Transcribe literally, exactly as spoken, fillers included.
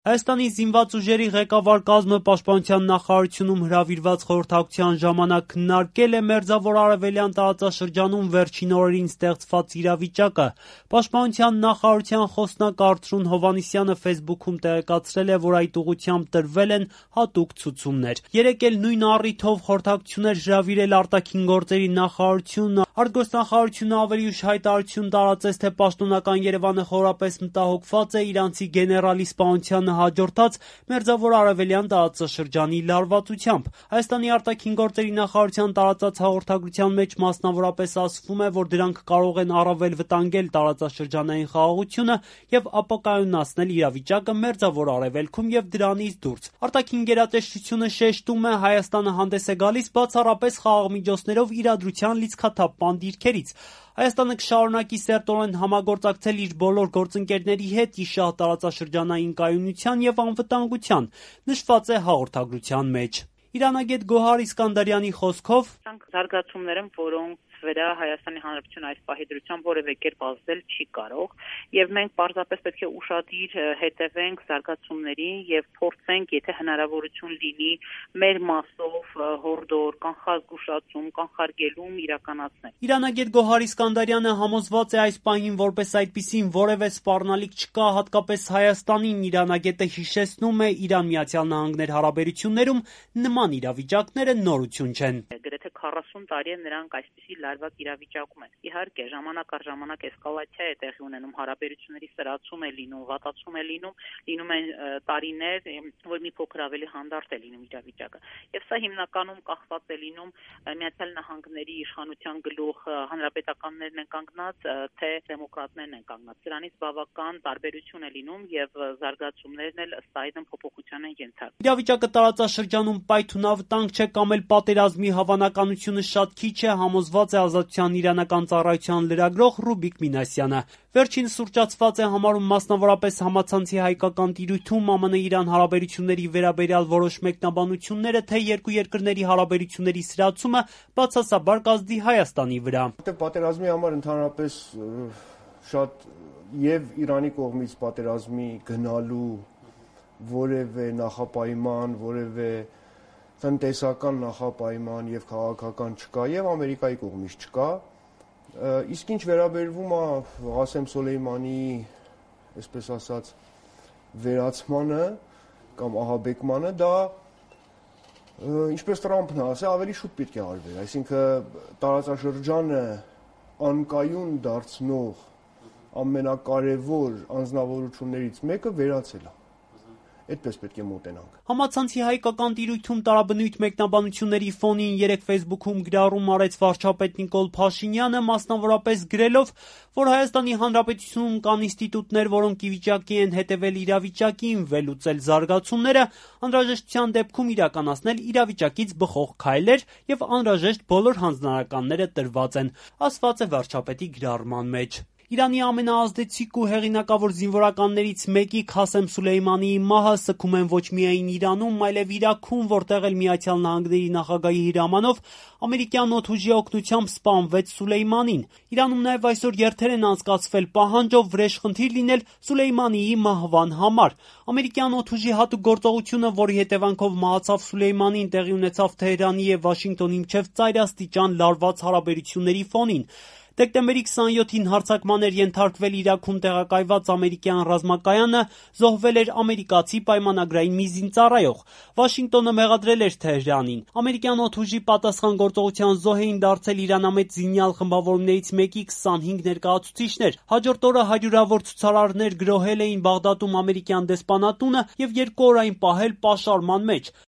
Հայաստանի զինված ուժերի ղեկավար կազմը Պաշտպանության նախարարությունում հրավիրված խորհրդակցության ժամանակ քննարկել է Մերձավոր Արևելյան տարածաշրջանում վերջին օրերին ստեղծված իրավիճակը։ Պաշտպանության նախարարության խոսնակ Արթրուն Հովհաննիսյանը ֆեյսբուքում տեղեկացրել է, որ այդ ուղղությամբ տրվել են հատուկ ցուցումներ։ Երեկ էլ նույն առիթով խորհրդակցություն էր հրավիրել արտաքին գործերի նախարարությունը։ Արտգործնախարարությունը ավելի ուշ հայտարարություն տարածեց, թե պաշտոնական Երևանը խորապես մտահոգված է իրանցի գեներալի սպանությանը հաջորդած Մերձավոր Արևելյան տարածաշրջանի լարվածությամբ։ Հայաստանի արտաքին գործերի նախարարության տարածած հաղորդագրության մեջ մասնավորապես ասվում է, որ դրանք կարող են առավել վտանգել տարածաշրջանային խաղաղությունը եւ ապակայունացնել իրավիճակը Մերձավոր Արևելքում եւ դրանից դուրս։ Արտաքին գերատեսչությունը շեշտում է, Հայաստանը հանդես է գալիս բացառապես խաղաղ միջոցներով իրադրության լիցքաթափման դիրքերից։ Հայաստանը կշարունակի սերտորեն համագործակցել իր բոլոր գործընկերների հետ ի շահ տարածաշրջանային կայունության եւ անվտանգության, նշված է հաղորդագրության մեջ։ Իրանագետ Գոհար Իսկանդարյանի խոսքով զարգացումներ են, որոնց վրա Հայաստանի Հանրապետությունը այս պահի դրությամբ որևէ կերպ ազդել չի կարող, եւ մենք պարզապես պետք է ուշադիր հետևենք զարգացումներին եւ փորձենք, եթե հնարավորություն լինի, մեր մասով հորդոր, կանխազգուշացում, կանխարգելում իրականացնել։ Իրանագետ Գոհար Իսկանդարյանը համոզված է այս պահին որպես այդպիսին որևէ սպառնալիք չկա, հատկապես Հայաստանին։ Իրանագետը հիշեցնում է, Իրան-Միացյալ Նահանգներ հարաբերություններում նման իրավիճակները նորություն չեն։ Գրեթե քառասուն տարի է նրանք այսպիսի լարված իրավիճակում են։ Իհարկե, ժամանակ առ ժամանակ էսկալացիա է տեղի ունենում, հարաբերությունների սրացում է լինում, վատացում է լինում, լինում են տարիներ, որ մի փոքր ավելի հանդարտ է լինում իրավիճակը։ Եվ սա հիմնականում կախված է լինում Միացյալ Նահանգների իշխանության գլուխ հանրապետականներն են կանգնած, թե դեմոկրատներն են կանգնած։ Դրանից բավական տարբերություն է լինում եւ զարգացումներն էլ ըստ այդմ փոփոխության են ենթարկվում։ Իրավիճակը տարածաշրջանում պայթունավտանգ չէ կամ էլ պատերազմի հավանականությունը շատ քիչ է, համոզված է Ազատության իրանական ծառայության լրագրող Ռուբիկ Մինասյանը։ Վերջինս ուռճացված է համարում մասնավորապես համացանցի հայկական տիրույթում ԱՄՆ-Իրան հարաբերությունների վերաբերյալ որոշ մեկնաբանությունները, թե երկու երկրների հարաբերությունների սրացումը բացասաբար կազդի Հայաստանի վրա։ Պատերազմի համար ընդհանրապես շատ եւ Իրանի կողմից պատերազմի գնալու որևէ նախապայման, որևէ տնտեսական նախապայման եւ քաղաքական չկա եւ Ամերիկայի կողմից չկա։ Իսկ ինչ վերաբերվում է Ղասեմ Սոլեյմանի, այսպես ասած, վերացմանը կամ ահաբեկմանը, դա ինչպես Տրամփն ասել, ավելի շուտ պետք է արվեր, այսինքն տարածաշրջանը անկայուն դարձնող ամենակարևոր անձնավորություններից մեկը վերացել է։ Այդպես պետք է մոտենանք։ Համացանցի հայկական տիրույթում տարաբնույթ մեկնաբանությունների ֆոնին երեկ ֆեյսբուքում գրառում արեց վարչապետ Նիկոլ Փաշինյանը, մասնավորապես գրելով, որ Հայաստանի Հանրապետությունում կան ինստիտուտներ, որոնք ի վիճակի են հետևել իրավիճակին, վերլուծել զարգացումները, անհրաժեշտության դեպքում իրականացնել իրավիճակից բխող քայլեր եւ անհրաժեշտ բոլոր հանձնարարականները տրված են, ասված է վարչապետի գրառման մեջ։ Իրանի ամենաազդեցիկ ու հեղինակավոր զինվորականներից մեկի Քասեմ Սուլեյմանիի մահը սգում են ոչ միայն Իրանում, այլև Իրաքում, որտեղ էլ Միացյալ Նահանգների նախագահի հրամանով ամերիկյան օդուժի օգնությամբ սպանվեց Սուլեյմանին։ Իրանում նաև այսօր երթեր են անցկացվել պահանջով վրեժխնդիր լինել Սուլեյմանիի մահվան համար։ Ամերիկյան օդուժի հատուկ գործողությունը, որի հետևանքով մահացավ Սուլեյմանին, տեղի ունեցավ Թեհրանի եւ Վաշինգտոնի միջև ծայրաստիճան լարված հարաբերությունների ֆոնին։ Դեկտեմբերի քսաներկուին հարձակման էր ենթարկվել Իրաքում տեղակայված ամերիկյան ռազմակայանը, զոհվել էր ամերիկացի պայմանագրային մի զինծառայող։ Վաշինգտոնը մեղադրել էր Թեհրանին։ Ամերիկյան օդուժի պատասխան գործողության զոհ էին դարձել իրանամետ զինյալ խմբավորումներից մեկի քսանհինգ ներկայացուցիչներ։ Հաջորդ օրը հարյուրավոր ցուցարարներ գրոհել էին Բաղդադում ամերիկյան դեսպանատունը եւ երկու օր այն պահել պաշարման մեջ։